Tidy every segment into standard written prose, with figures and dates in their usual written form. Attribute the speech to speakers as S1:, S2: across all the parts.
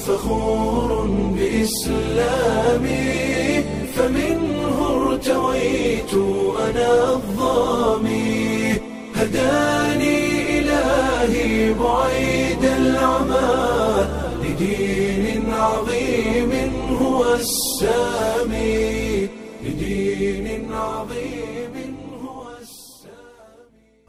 S1: فخور بإسلامي، فمنه ارتويت أنا الظامي، هداني إلهي بعيد العمى لدين عظيم هو السامي، لدين عظيم هو السامي.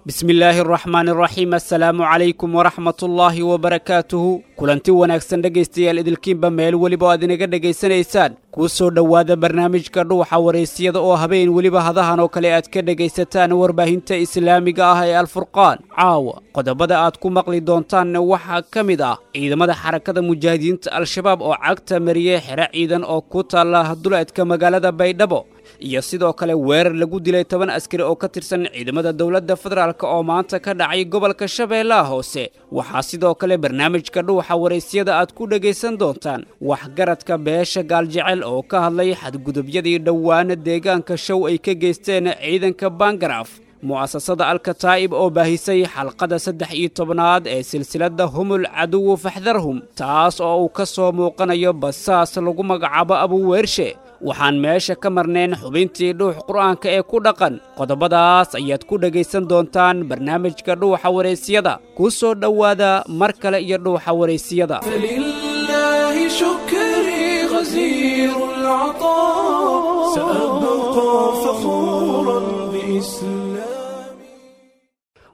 S2: Bismillaahi araxmaani araxiim, assalaamu calaykum waraxmatullaahi wabarakaatuhu. Kulanti wanaagsan dhegaystayaal, idilkiinba meel weliba oo aad inaga dhegaysanaysaan, kuu soo dhowaada barnaamijka Dhuuxa Wareysiyada oo habeen weliba hadahan oo kale aad ka dhegaysataan warbaahinta islaamiga ah ee Alfurqaan. Caawa qodobada aad ku maqli doontaanna waxaa ka mid ah ciidamada Xarakada Mujaahidiinta Al-Shabaab oo cagta mariyey xero ciidan oo ku taalla duleedka magaalada Baydhabo, iyo sidoo kale weerar lagu dilay 10 askari oo ka tirsan ciidamada dowladda federaalk oo maanta ka dhacay gobolka Shabeellaha Hoose. Waxaa sidoo kale barnaamijka Dhuuxa Waraysyada aad ku dhegaysan doontaan waxgaradka beesha Gaaljecel oo ka hadlay xadgudubyadii dhowaana deegaanka Show ay ka geysteen ciidanka Bangaraaf, mu'asasada Alkataa'ib oo baahisay xalqada 13aad ee silsiladda Humul Caduwu Faxdarhum, taas oo uu ka soo muuqanayo basaas lagu magacaabo Abuweershe. Waxaan meesha ka marnayn xubintii Dhuux Qur'aanka ee ku dhaqan. Qodobadaas ayaad ku dhegaysan doontaan barnaamijka Dhuuxa Wareysiyada. Ku soo dhowaada mar kale iyo Dhuuxa Wareysiyada.
S1: فلله شكري غزير العطاء، سأبقى فخورا بإسلامي.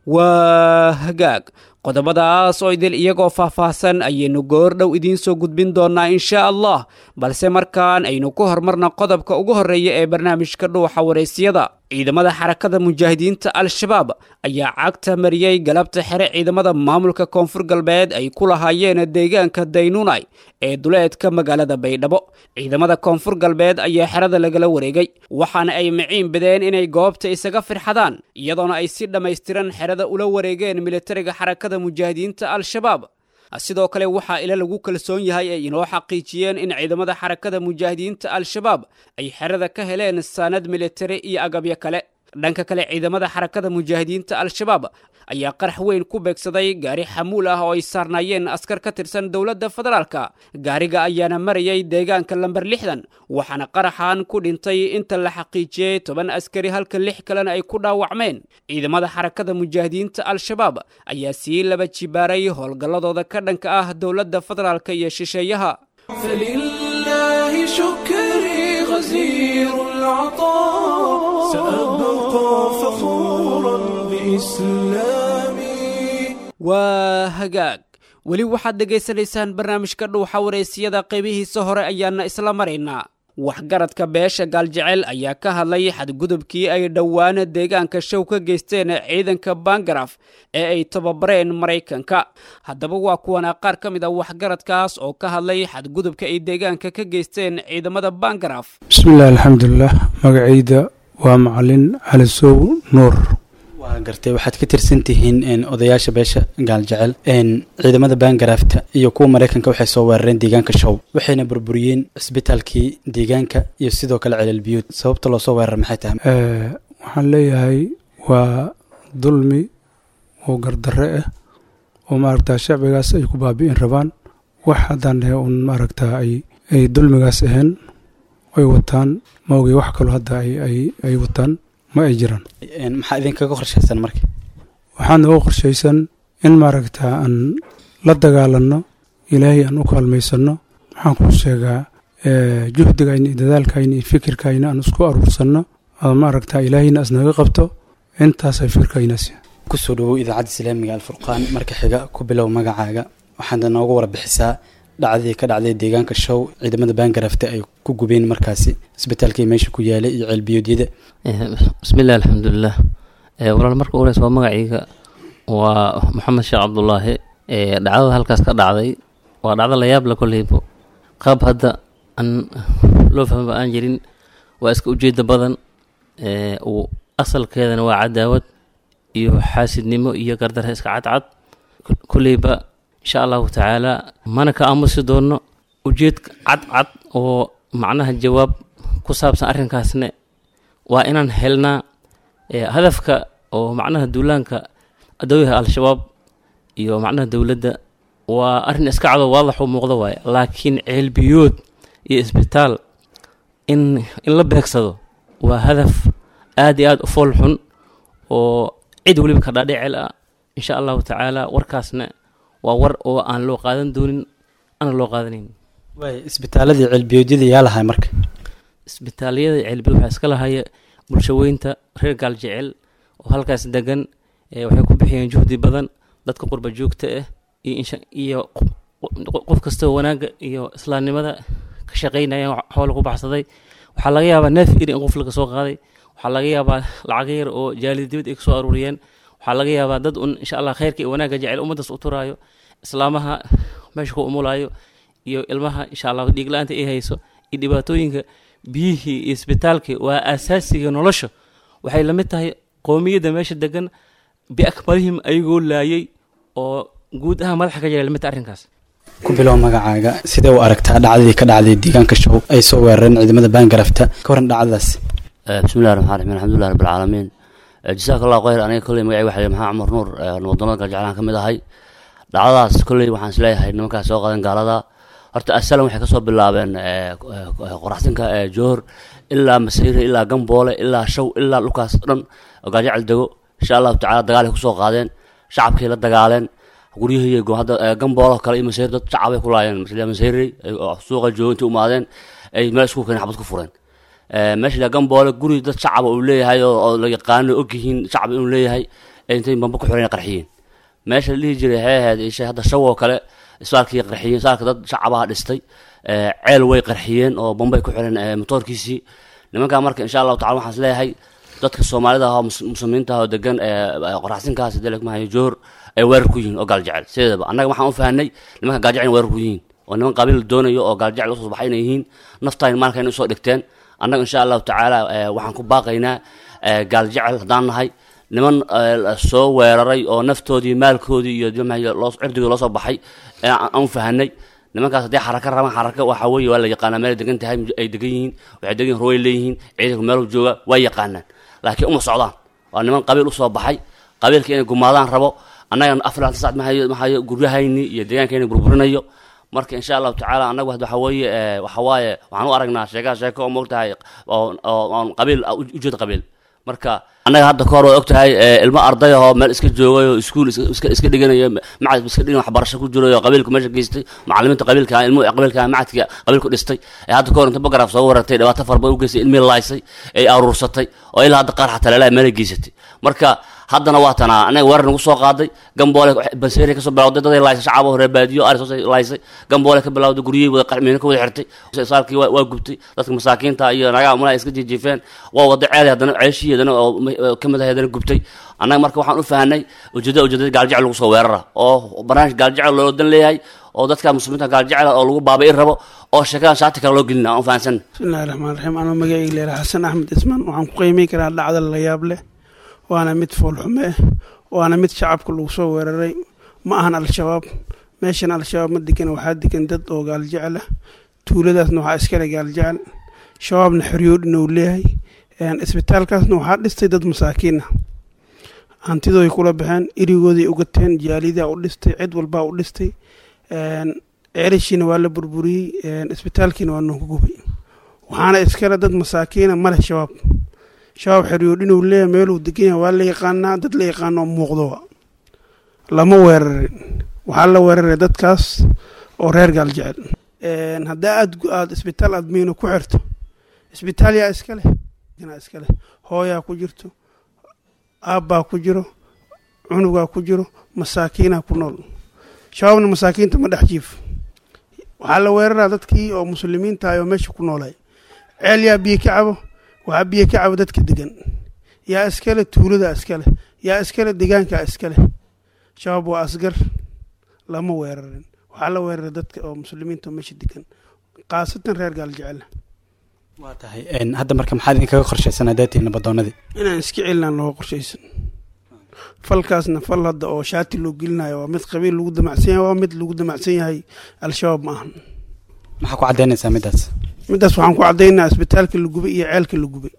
S2: Waa hagaag, qodobadaas oo idil iyagoo faahfaahsan ayaynu goor dhow idiin soo gudbin doonnaa insha Allah, balse markaan aynu ku hormarno qodobka ugu horreeya ee barnaamijka Dhuuxa Wareysiyada. Ciidamada Xarakada Mujaahidiinta Al-Shabaab ayaa cagta mariyey galabta xere ciidamada maamulka Koonfur Galbeed ay ku lahaayeen deegaanka Daynunay ee duleedka magaalada Baydhabo. Ciidamada Koonfur Galbeed ayaa xerada lagala wareegay, waxaana ay miciin bideen inay goobta isaga firxadaan, iyadoona ay si dhammaystiran xerada ula wareegeen militariga Xarakada Mujaahidiinta Al-Shabaab. Sidoo kale waxaa ila lagu kalsoon yahay ay inoo xaqiijiyeen in ciidamada Xarakada Mujaahidiinta Al-Shabaab ay xerada ka heleen saanad militari iyo agabyo kale. Dhanka kale, ciidamada Xarakada Mujaahidiinta Al-Shabaab ayaa qarax weyn ku beegsaday gaari xamuul ah oo ay saarnaayeen askar ka tirsan dowladda federaalka. Gaariga ayaana marayay deegaanka lambar 60, waxaana qaraxan ku dhintay inta la xaqiijiyey 10 askari, halka 6 kalena ay ku dhaawacmeen. Ciidamada Xarakada Mujaahidiinta Al-Shabaab ayaa sii laba jibaaray howlgalladooda ka dhanka ah dowladda federaalka iyo shisheeyaha.
S1: فلله شكري غزير العطاء، سأبقى فخورا بإسلامي.
S2: Waa hagaag, weli waxaad dhegaysanaysaan barnaamijka Dhuuxa Wareysiyada, qaybihiisa hore ayaana isla maraynaa. Waxgaradka beesha Gaaljecel ayaa ka hadlay xadgudubkii ay dhowaan deegaanka Show ka geysteen ciidanka Bangaraf ee ay tababareen Maraykanka. Haddaba waa kuwana qaar ka mid a waxgaradkaas oo ka hadlay xadgudubka ay deegaanka ka geysteen ciidamada Bangaraf.
S3: Bismillahi, alxamdulilah. Magacayda waa Macalin Cali Sow Nuur.
S4: Waa gartay, waxaad ka tirsan tihiin odayaasha beesha Gaaljecel. Ciidamada Baangaraafta iyo kuwa Maraykanka waxay soo weerareen deegaanka Show, waxayna burburiyeen cisbitaalkii deegaanka iyo sidoo kale Celelbiyuud. Sababta loo soo weeraray maxay tahay?
S3: Waxaan leeyahay waa dulmi oo gardarre ah oo maaragtaa shacbigaas ay ku baabi'in rabaan. Wax haddaan dhahe uun maaragtaa ay dulmigaas ahayn ay wataan ma ogey, wax kaloo hadda ay wataan ma ay jiraan.
S4: Maxaa idinkaga qorshaysan marka?
S3: Waxaan nooga qorshaysan in maaragtaa aan la dagaalanno, Ilaahay aan u kaalmaysanno. Waxaan kuu sheegaa juhdigayna iyo dadaalkayna iyo fikirkayna aan isku aruursanno oo maaragtaa Ilaahayna asnaga qabto. Intaasay fikirkaynaas.
S4: Kusoo dhawow idaacadda islaamiga Alfurqaan. Marka xiga, ku bilow magacaaga, waxaana noogu warbixisaa dhacdii ka dhacday deegaanka Show, ciidamada Baangarafta ay ku gubeen markaasi isbitaalkii meesha ku yaalay iyo ceelbiyoodyada.
S5: Bismillahi, alxamdulilah. Walaal, marka ugu horeysa waa magacayga waa Maxamed Sheekh Cabdulaahi. Dhacdada halkaas ka dhacday waa dhacdo la yaab la koleybo, qaab hadda aan loo fahmaba aan jirin, waa iska ujeeda badan. Uu asalkeedana waa cadaawad iyo xaasidnimo iyo gardarre iska cadcad. Koleyba insha Allahu tacaala mana ka aamusi doono. Ujeed cadcad oo macnaha jawaab ku saabsan arrinkaasne waa inaan helnaa. Hadafka oo macnaha duulaanka adooyaha Al-Shabaab iyo macnaha dowladda Waa arrin iska cado, waadax u muuqda waaye, laakiin ceelbiyood iyo isbitaal in la beegsado waa hadaf aad iyo aad u fool xun oo cid weliba ka dhaadhicel ah. Insha Allahu tacaala warkaasna waa war oo aan loo qaadan doonin, ana loo qaadanayn.
S4: Waay, isbitaaladii ceelbiyoodyada yaa lahay marka?
S5: Isbitaalyada ceelbiyood waxaa iska lahaya bulshaweynta reer Gaaljecel oo halkaas degan. Waxay ku bixiyeen juhdi badan dadka qurba joogta ah iyo qof kastoo wanaagga iyo islaamnimada ka shaqaynaya xoola ku baxsaday. Waxaa laga yaabaa neef iri in qof laga soo qaaday, waxaa laga yaabaa lacag yar oo jaalida dibad ay kasoo aruuriyeen, waxaa laga yaabaa dad un insha Allah khayrka iyo wanaagga jecel, ummaddaas u turaayo, islaamaha meesha ku umulaayo iyo ilmaha insha Allah dhiig la-aanta ay hayso iyo dhibaatooyinka biyihii iyo isbitaalkii waa asaasiga nolosha. Waxay la mid tahay qoomiyadda meesha degan biakmalihim ayagoo laayay oo guud ahaan madaxa ka jira lamid tahay arrinkaas.
S4: Ku bilow magacaaga, sidee u aragtaa dhacdadii ka dhacday deegaanka Show ay soo weerareen ciidamada Baangarafta? Ka waran dhacdadaas.
S6: Bismillahi raxmaan raxiim, alxamdulilah rabbil caalamiin, jazaaka Allahu khayr. Aniga kolley magacay waxaa Maxamed Cumar Nuur, wadamada Galjeclaan ka mid ahay. Dhacdadaas kolley waxaan isleeyahay nimankaas soo qadan gaalada horta asalan waxay kasoo bilaabeen Qoraxsinka, Joor ilaa Masayre ilaa Gamboole ilaa Shaw ilaa dhulkaas dhan oo Gaajecel dego. Insha Allahu tacala dagaalay kusoo qaadeen, shacabkii la dagaaleen, guryihii hadda Gamboolo kale iyo Masayre dad shacabay ku laayeen. Masayre suuqa jooga intay umaadeen ay meel isku keeneen, xabad ku fureen. Meesha la Gamboole guri dad shacaba uu leeyahay oo la yaqaano, ogyihiin shacab inuu leeyahay, intay bamba ku xireen qarxiyeen. Meesha la dhihi jiray waxay ahayd isha hadda Shaw oo kale isbitaalkii qarxiyeen, isbitaalka dad shacabaha dhistay. Ceel way qarxiyeen oo bambay ku xireen matoorkiisii nimankaa. Marka insha Allahu tacala waxaan is leeyahay dadka Soomaalida ah oo muslimiinta ah oo degan Qoraxsinkaas delekmahayo Joor ay weerar ku yihiin oo Gaaljecel. Sideedaba annaga waxaan u fahanay nimanka Gaaljecel in weerar ku yihiin oo niman qabiil doonayo oo Gaaljecel usoo baxay inay yihiin, naftaan maalka inay usoo dhigteen. Annaga insha Allahu tacaala waxaan ku baaqaynaa Gaaljecel haddaan nahay niman soo weeraray oo naftoodii, maalkoodii iyo cirdigooda loo soo baxay aan u fahanay. Nimankaas hadday xaraka rabaan, xaraka waxa weeye waa la yaqaanaa meel degan tahay, ay degan yihiin, waxay degan yihin ruway leeyihiin, ciidanku meelu jooga waa yaqaanaan, laakiin uma socdaan. Waa niman qabiil usoo baxay, qabiilka inay gumaadaan rabo. Annaga 24 sac mahayo guryahayni iyo deegaankayni burburinayo. Marka insha Allahu tacaala annagu waxa weeye waxa waaye waxaan u aragnaa sheekaha sheeko oo moogtahay oo oon qabiil ujeed qabiil. Marka annaga hadda kahor waa og tahay ilmo arday ahoo meel iska joogay oo iskuul iska dhiganayo, macad iska dhigan, waxbarasho ku jiray oo qabiilku meesha geystay, macallimiinta qabiilka, ilmuhu qabiilka, macadka qabiilku dhistay ee hadda kahor inta bagaraaf soo wareertay dhibaato fara badan u geystay, ilmihii laaysay, ay aruursatay oo ilaa hadda qaar xataa leelaha meelay geysatay. Marka haddana waa tanaa anaga weerar nagu soo qaaday. Gamboole Banseeri kasoo bilawday, daday laaysay, shacab oo reer baadiyo ari soo laaysay. Gamboole ka bilawday, guryihii wada miino ka wada xirtay, saalkii waa gubtay, dadka masaakiinta iyo naagaha umalaha iska jiijiifeen, waa wada ceelay, haddana ceeshii haddana oo ka mid ahay haddana gubtay. Annaga marka waxaan u fahanay ujeedada Gaaljecel lagu soo weerara oo barnaamij Gaaljecel loo dan leeyahay oo dadka muslimiinta Gaaljecel oo lagu baaba'i rabo oo sheekadan shaati kale loo gelina aan u fahansan.
S7: Bismillahi raxmaan raxiim. Anuu magacayga leeyahay Xasan Axmed Ismaan. Waxaan ku qiimeyn karaa dhacda la yaab leh, waana mid foolxume ah, waana mid shacabka lagu soo weeraray. Ma ahan Al-Shabaab meeshan, Al-Shabaab ma degan, waxaa degan dad oo Gaaljecel ah. Tuuladaasna waxaa iskale Gaaljecel, Shabaabna xoryoodhina uu leeyahay. Isbitaalkaasna waxaa dhistay dad masaakiin ah, hantidooday kula baxeen, erigooday ugateen, jaalidaa u dhistay, cid walbaa u dhistay. Ceelashiina waa la burburiyey, isbitaalkiina waa noogu gubay, waxaana iskale dad masaakiina maleh Shabaab. Shabaab xeryoodhinuu leeyahay, meeluu degan yahay waa la yaqaanaa, dad la yaqaano oo muuqdo lama weerarin. Waxaa la weeraray dadkaas oo reer Gaaljecel. Haddaa aad isbitaal aad miino ku xirto, isbitaal yaa iska leh? Yaa iska leh? Hooyaa ku jirto, aabbaa ku jiro, cunugaa ku jiro, masaakiinaa ku nool. Shabaabna masaakiinta ma dhex jiif. Waxaa la weeraraa dadkii oo muslimiinta ah oo meesha ku noolay. Ceel yaa biyo ka cabo? Waxaa biyo ka cabo dadka degan. Yaa iskale? Tuulada iskale. Yaa iskale? Deegaankaa iskale. Shabaab waa asgar, lama weerarin. Waxaa la weeraray dadka oo muslimiinta oo meesha degan, khaasatan reer Gaaljecel.
S4: Waa tahay, hadda marka maxaad idinkaga qorshaysan haddaad tihiin nabadoonadii?
S7: Inaan iska celinaan looga qorshaysan. Falkaasna fal hadda oo shaati loo gelinayo waa mid qabiil lagu damacsan yahay, waa mid lagu damacsan yahay, Al-Shabaab ma ahan.
S4: Maxaa ku caddaynaysaa middaas?
S7: Middaas waxaan ku caddaynaa isbitaalka la gubay iyo ceelka la gubay.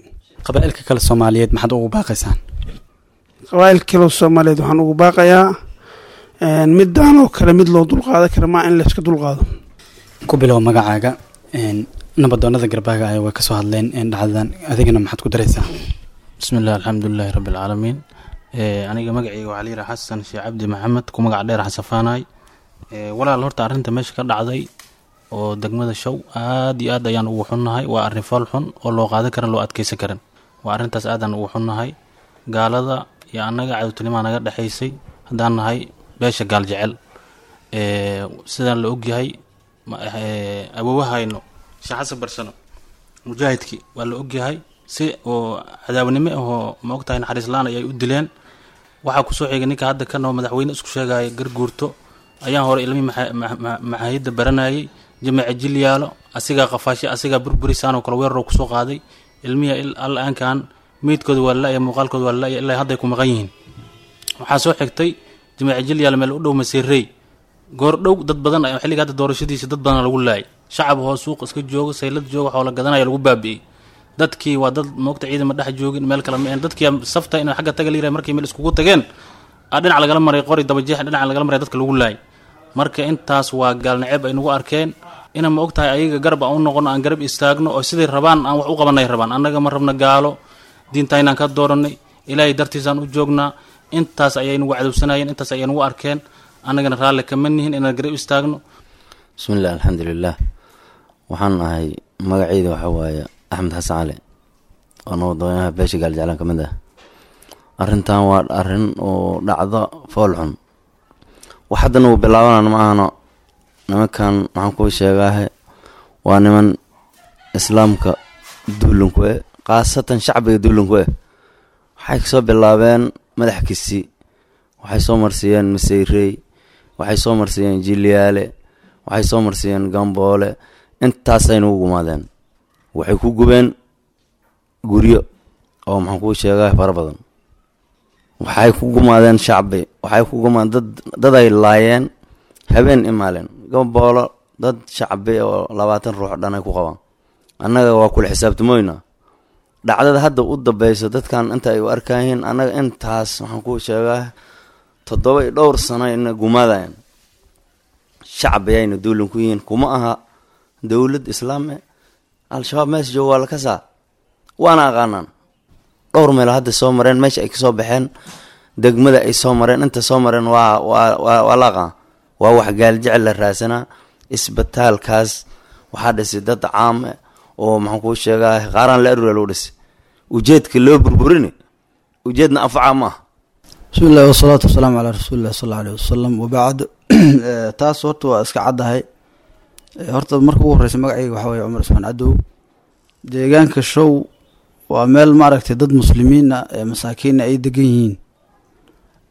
S4: Qabaa'ilka kale Soomaaliyeed maxaad ugu baaqaysaan?
S7: Qabaa'ilka kale Soomaaliyeed waxaan ugu baaqayaa Midaan oo kale mid loo dulqaadan kara maa in layska dulqaado.
S4: Ku bilow magacaaga. Nabadoonada garbaaga ayaa way kasoo hadleen dhacdadan, adigana maxaad ku daraysaa?
S8: Bismi illah, alxamdulilaahi rabbi alcaalamiin. Aniga magacayga waxaa layidhaha Xasan Sheekh Cabdi Maxamed, ku magac dheer Xasafaanaay. Walaal, horta arrinta meesha ka dhacday oo degmada Show aad iyo aad ayaan ugu xunnahay. Waa arrin fool xun oo loo qaadan karin, loo adkeysan karin. Waa arrintaas aadaan ugu xunnahay. Gaalada iyo annaga cadowtinimaa naga dhexaysay haddaan nahay beesha Gaal Jecel. Sidaan la ogyahay, awowahayno Sheekh Xasan Barsano mujaahidkii waa la ogyahay, si oo cadaawnimo ahoo ma ogtahay naxariis la-aan ayay u dileen. Waxaa kusoo xigay ninka hadda kanoo madaxweyne isku sheegaya, Garguurto, ayaan hore ilmihii maxaahidda baranayay Jamaca Jilyaalo asigaa qafaashay, asigaa burburisaanoo kale weeraroo kusoo qaaday ilmihii. Al-aankan meydkooda waa la-ya, muuqaalkooda waa la-ya, ilaa hadday ku maqan yihiin. Waxaa soo xigtay Jamaca Jilyaalo meel u dhow Masiirey, goor dhow dad badan xilliga hadda doorashadiisa dad badan lagu laayay, shacab hoo suuq iska jooga, saylad jooga, xoola gadanaya lagu baabi'iyey. Dadkii waa dad moogta ciidama dhex joogin, meel kale ma dadkii safta in xagga taga la yirahay. Markii meel iskugu tageen a dhinac lagala maray, qori dabajeex dhinac lagala maray, dadka lagu laayay. Marka intaas waa gaalnaceeb ay nagu arkeen. Ina ma ogtahay ayaga garab aan u noqono, aan garab istaagno oo siday rabaan aan wax u qabanay rabaan. Annaga ma rabna gaalo, diinta inaan ka dooranay, Ilaahay dartiisaan u joognaa. Intaas ayay nagu cadowsanayeen, intaas ayay nagu arkeen. Annagana raalli kama nihin inaan garab istaagno.
S9: Bismiillah, alxamdulilah. Waxaan ahay, magacayda waxaa waaye Axmed Xasan Cali oo nabadoonaha beesha Gaaljeclaan ka mid ah. Arrintan waa arrin oo dhacdo fool xun. Wax haddana uu bilaabanana ma ahano. Nimankan waxaan kuu sheegaahe waa niman islaamka duulinku eh, khaasatan shacbiga duulinku eh. Waxay kasoo bilaabeen madax kisi, waxay soo marsiiyeen Maseyrey, waxay soo marsiiyeen Jiliyaale, waxay soo marsiiyeen Gamboole. Intaasay nagu gumaadeen. Waxay ku gubeen guryo oo maxaan kuu sheegaa fara badan. Waxay ku gumaadeen shacbi, waxay ku gumaadeen dad, daday laayeen habeen imaaleen Gamboolo, dad shacbi oo 20 ruux dhan ay ku qabaan. Annaga waa kula xisaabtamoyna dhacdada hadda u dambeyso. Dadkan inta ay u arkayiin, annaga intaas waxaan kuu sheegaa 7 iyo dhowr sano ina gumaadayan. Shacbi ayayna duulin ku yihiin, kuma aha dowlad islaam e. Al-Shabaab meesha jooga waa la kasaa, waana aqaanaan. Dhowr meel hadda soo mareen, meesha ay kasoo baxeen, degmada ay soo mareen, inta soo mareen waa la aqaan. Waa wax Gaaljecel la raadsanaa. Isbitaalkaas waxaa dhisay dad caam eh oo maxaan kuu sheegaa qaaraan la arura lagu dhisay. Ujeedka loo burburini ujeedna anfaca ma aha.
S10: Bismi illahi wasalaatu wasalaamu calaa rasuulillahi sal alla aleyh wasalam, wabacd. Taas horta waa iska caddahay. Horta marka ugu horreysa magacayga waxaa weye Cumar Ismaan Cadow. Deegaanka Show waa meel maaragtay dad muslimiin ah ee masaakiinna ay degan yihiin.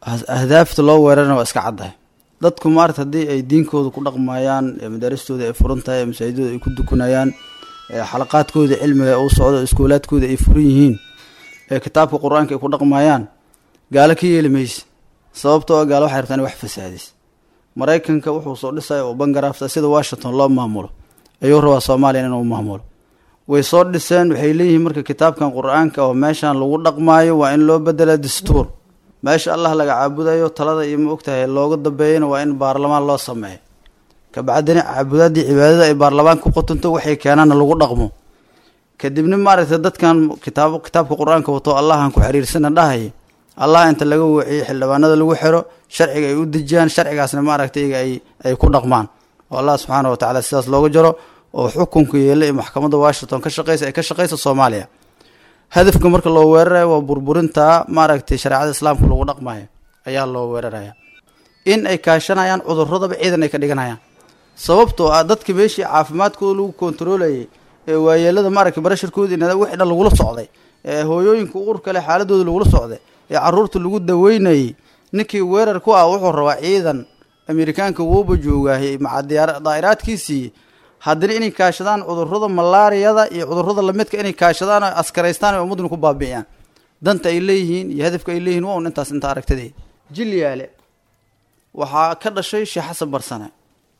S10: Ahdaafta loo weerarana waa iska caddahay. Dadku maarata haddii ay diinkooda ku dhaqmayaan, ee madaaristooda ay furan tahay, ee masaajidooda ay ku dukanayaan, ee xalaqaadkooda cilmiga u socdo, iskuulaadkooda ay furan yihiin, ee kitaabka Qur-aanka ay ku dhaqmayaan, gaalo ka yeeli mayse. Sababtoo ah gaalo waxay rabtaan in wax fasaadis. Maraykanka wuxuu soo dhisaya oo bangaraafta sida Washington loo maamulo ayuu rabaa Soomaaliya inuu maamulo. Way soo dhiseen. Waxay leeyihiin marka kitaabkan Qur-aanka oo meeshan lagu dhaqmaayo waa in loo bedela dastuur. Meesha Allah laga caabudayo, talada iyo ma ogtahay looga dambeeyana waa in baarlamaan loo sameeyo. Kabacdina caabudaadii cibaadada ay baarlamaan ku qotonto, waxay keenaana lagu dhaqmo. Kadibna maaragtay dadkan kitaabka Qur-aanka wato, Allahan ku xiriirsana dhahaya, Allah inta laga waciyey xildhibaanada lagu xiro, sharciga ay u dejiyaan, sharcigaasna maaragtay iyaga ay ku dhaqmaan oo Allah subxaana wa tacaala sidaas looga jaro oo xukunka yeela ee maxkamadda Washington ka shaqeysa ay ka shaqeysa Soomaaliya. Hadafka marka loo weerarayo waa burburinta maaragtay shareecada islaamka lagu dhaqmayo ayaa loo weeraraya, in ay kaashanayaan cuduradaba ciidan ay ka dhiganayaan. Sababtoo ah dadka meeshii caafimaadkooda lagu kontarolayay, ee waayeelada maaragtay barasharkooda wixii dhan lagula socday, ee hooyooyinka uurka leh xaaladooda lagula socday, ee caruurta lagu daweynayay, ninkii weerar ku ah wuxuu rabaa ciidan. Amerikaanka wuuba joogaahay maca daa'iraadkiisii. Haddana inay kaashadaan cudurrada malaariyada iyo cudurrada lamidka, inay kaashadaan oo askaraystaan oo ummadduna ku baabi'iyaan, danta ay leeyihiin iyo hadafka ay leeyihiin waa un intaas. Inta aragtadii Jilyaale waxaa ka dhashay Sheekh Xasan Barsane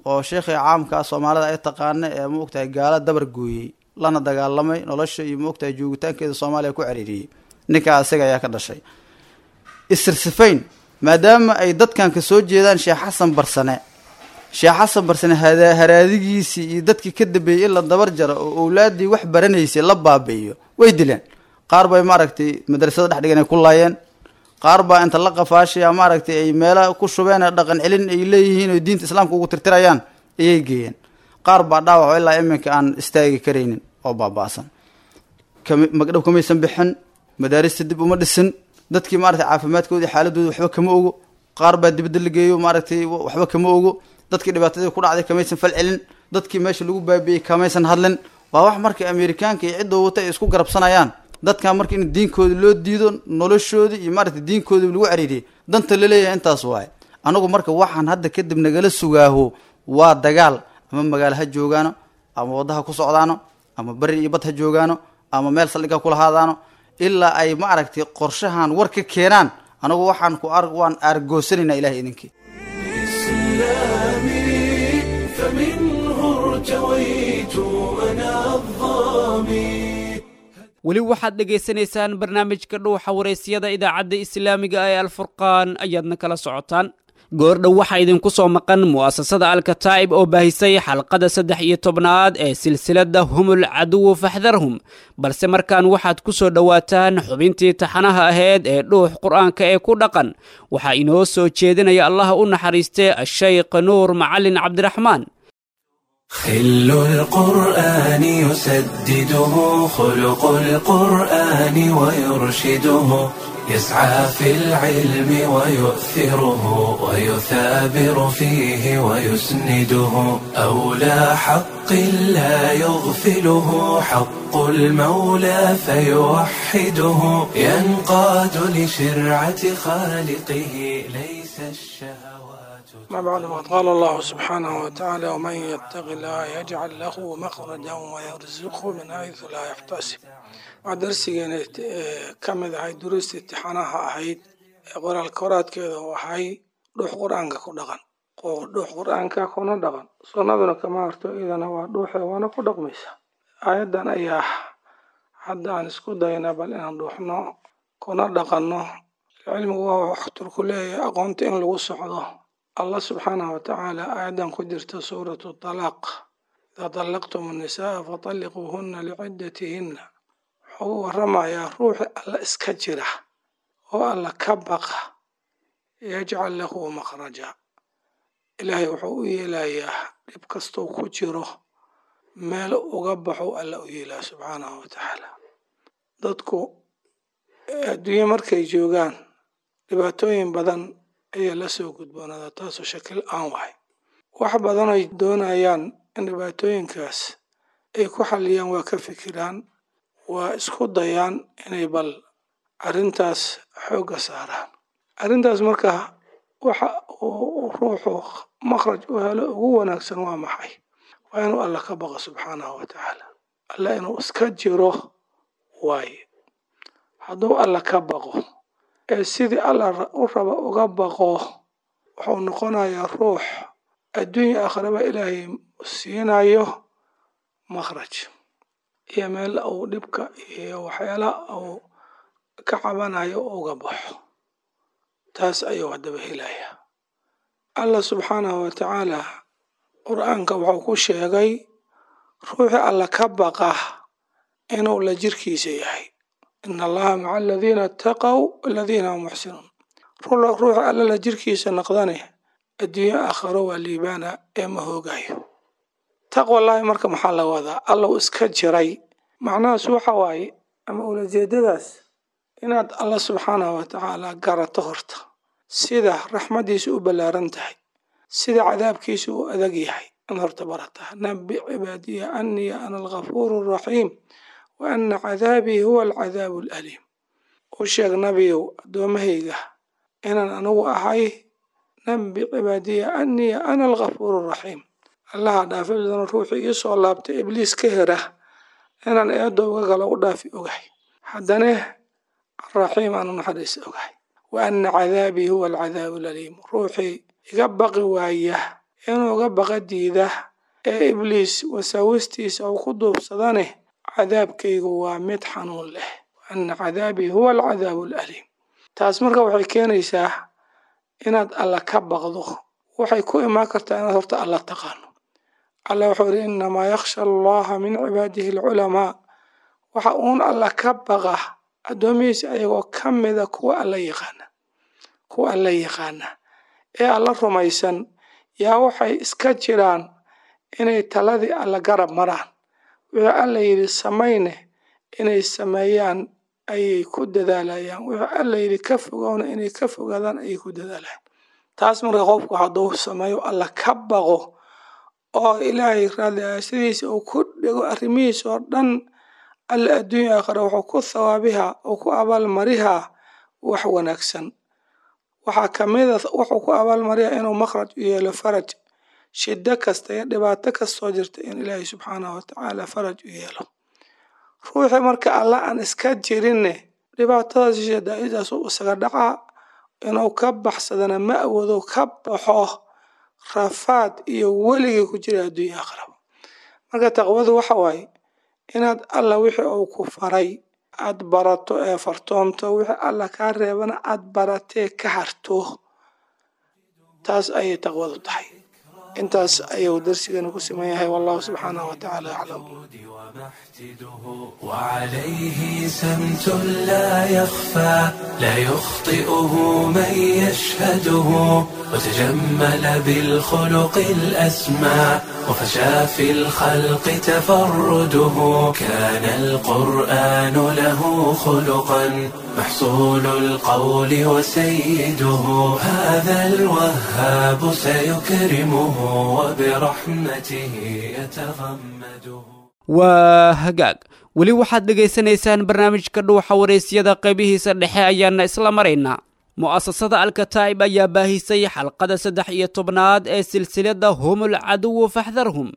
S10: oo sheekhii caamka ah Soomaalida ay taqaana ee ma ogtahay gaala dabar gooyey, lana dagaalamay, nolosha iyo ma ogtahay joogitaankeeda Soomaaliya ku ciriiriyey. Ninkaa asaga ayaa ka dhashay. Isirsifayn Maadaama ay dadkan ka soo jeedaan Sheekh Xasan Barsane, Sheekh Xasan Barsane haraadigiisii iyo dadkii ka dambeeyey in la dabar jaro oo owlaaddii wax baranaysay la baabi'iyo, way dileen. Qaar bay maaragtay madrasada dhex dhigan ay ku laayeen, qaar baa inta la qafaashaya maaragtay ay meela ku shubeen dhaqan celin ay leeyihiin oo diinta islaamka ugu tirtirayaan ayay geeyeen. Qaar baa dhaawac oo ilaa iminka aan istaagi karaynin oo baaba'san. Magdhow kamaysan bixin, madaarista dib uma dhisin, dadkii maaragtay caafimaadkoodii xaaladooda waxba kama ogo. Qaar baa dibadda la geeyo, maaragtay waxba kama ogo. Dadkii dhibaatadii ku dhacday kamaysan fal celin, dadkii meesha lagu baabi'iyey kamaysan hadlin. Waa wax marka Amerikaanka iyo cidda wata ay isku garabsanayaan dadkan, marka in diinkooda loo diido, noloshoodii iyo maaragtay diinkoodii lagu cariiriyay, danta laleeyahay intaas waaye. Anagu marka waxaan hadda kadib nagala sugaaho waa dagaal, ama magaalo ha joogaano, ama waddaha ku socdaano, ama beri iyo bad ha joogaano, ama meel saldhig ha kula haadaano, ilaa ay ma aragtay qorshahan war ka keenaan. Anagu waxaan ku waan aargoosanaynaa Ilahay idinkii.
S1: إسلامي فمنه ارتويت أنا الظامي.
S2: Weli waxaad dhegaysanaysaan barnaamijka Dhuuxa Wareysiyada, idaacadda islaamiga ee Alfurqaan ayaadna kala socotaan. Goordhow waxaa idinku soo maqan mu'asasada Alkataa'ib oo baahisay xalqada 13aad ee silsiladda Humul Caduwu Faxdarhum, balse markaan waxaad ku soo dhowaataan xubintii taxanaha ahayd ee Dhuux Qur'aanka ee ku Dhaqan. Waxaa inoo soo jeedinaya, Allaha u naxariistee, Ashaykh Nuur Macalin Cabdiraxmaan.
S1: خل القرآن يسدده خلق القرآن ويرشده، يسعى في العلم ويؤثره ويثابر فيه ويسنده، أولى حق لا يغفله حق المولى فيوحده، ينقاد لشرعة خالقه، ليس الشهوات
S11: ما بعد ما قال الله سبحانه وتعالى: ومن يتق الله يجعل له مخرجا ويرزقه من حيث لا يحتسب. Waa darsigeena ka mid ahay duruusta imtixaanaha ahayd ee qoraal koraadkeeda oo ahay Dhuux Qur-aanka ku Dhaqan, oo dhuux Qur-aanka kuna dhaqan, sunnaduna kama harto, iyadana waa dhuuxe waana ku dhaqmaysa. Aayaddan ayaa hadda aan isku daynaa bal inaan dhuuxno kuna dhaqanno. Cilmigu waa waxtarku leeyahay aqoonta in lagu socdo. Allah subxaanahu watacaala aayaddan ku jirta suuratu Talaaq: idaa طallaqtum annisaa fatalliquuhunna liciddatihinna, wuxuu u waramayaa ruuxi Alla iska jira oo Alla ka baqa, yajcal lahu makhraja, Ilaahay wuxuu u yeelayaa dhib kastuu ku jiro meel uga baxo Alla u yeelaya subxaanahu watacaala. Dadku adduunye markay joogaan dhibaatooyin badan ayaa la soo gudboonaada, taasoo shakil aan wahay. Wax badan ay doonayaan in dhibaatooyinkaas ay ku xalliyaan, waa ka fikiraan, waa isku dayaan inay bal arrintaas xoogga saaraan. Arrintaas marka waxa uu ruuxu makhraj u helo ugu wanaagsan waa maxay? Waa inuu Alla ka baqo subxaanahu wa tacaala, Alla inuu iska jiro waaye. Hadduu Alla ka baqo ee sidii Alla u raba uga baqo, wuxuu noqonayaa ruux adduunya aakhiraba Ilaahay siinayo makhraj iyo meel uu dhibka iyo waxyaalaha uu ka cabanayo uga baxo. Taas ayuu haddaba helayaa. Allah subxaanahu wa tacaala Qur-aanka wuxuu ku sheegay ruuxii Alla ka baqa inuu la jirkiisa yahay: ina Allaha maca aladiina attaqow aladiina hum muxsinuun. Ruuxa Alla la jirkiisa noqdane adduunyo aakhiro waa liibaana ee ma hoogayo. Taqwallaahi marka maxaa la wadaa? Allow iska jiray macnahaas waxa waaye ama ulajeedadaas inaad Alla subxaanahu wa tacaala garato horta, sida raxmaddiisu u ballaaran tahay, sida cadaabkiisu u adag yahay in horta barataa. Nabi cibaadiya anii ana alghafuuru araxiim wa ana cadaabii huwa alcadaabu alaliim. U sheeg nabiyow addoommahayga inaan anigu ahay, nabi cibaadiya anii ana alghafuuru araxiim, Allaha dhaafi badan, ruuxii ii soo laabtay ibliis ka hera inaan eedda uga galo u dhaafi ogahay, haddane araxiim aanu naxariis ogahay, wa ana cadaabii huwa alcadaabu alaliim. Ruuxii iga baqi waaya, inuu iga baqa diida ee ibliis wasaawistiisa uu ku duubsadane, cadaabkaygu waa mid xanuun leh, wa ana cadaabii huwa alcadaabu alaliim. Taas marka waxay keenaysaa Inaad Alla ka baqdo waxay ku imaan kartaa inaad horta Alla taqaano. Alla wuxuu yidhi: innamaa yakhsha Allaha min cibaadihi alculamaa. Waxa uun Alla ka baqa addoomihiisa ayagoo ka mida kuwa Alla yaqaana, kuwa Alla yaqaana ee Alla rumaysan. Yaa waxay iska jiraan inay taladii Alla garab maraan, wixii Alla yidhi samayne inay sameeyaan ayay ku dadaalayaan, wixii Alla yidhi ka fogowna inay ka fogaadaan ayay ku dadaalayaan. Taas marka qofku hadduu sameeyo, Alla ka baqo oo Ilaahay raadliaya sidiisa uu ku dhego arrimihiisa oo dhan, Alla adduunya aakhira wuxuu ku thawaabihaa oo ku abaalmarihaa wax wanaagsan. Waxaa kamid a wuxuu ku abaalmariyaa inuu makhraj u yeelo, faraj shiddo kasta iyo dhibaato kastoo jirta in Ilaahay subxaanahu watacaala faraj u yeelo. Ruuxii marka Alla aan iska jirinne, dhibaatadaas shidaa'idaas uu isaga dhacaa, inuu ka baxsadana ma awoodo, ka baxo rafaad iyo weligii ku jira adduunya aakhiraba. Marka taqwadu waxa waaye inaad Alla wixii uu ku faray aad barato ee fartoomto, wixii Alla kaa reebana aad baratee ka harto. Taas ayay taqwadu tahay. Intaas ayuu darsigana ku siman yahay. Wallahu subxaanahu watacaala aclam.
S1: وعليه سمت لا يخفى، لا يخطئه من يشهده، وتجمل بالخلق الأسمى، وفشى في الخلق تفرده. كان القرآن له خلقا، محصول القول وسيده. هذا الوهاب سيكرمه، وبرحمته يتغمده.
S2: Waa hagaag, weli waxaad dhegaysanaysaan barnaamijka Dhuuxa Waraysyada, qaybihiisa dhexe ayaana isla maraynaa. Mu'asasada Alkataa'ib ayaa baahisay xalqada 13aad ee silsiladda Humul Caduwu Faxdarhum,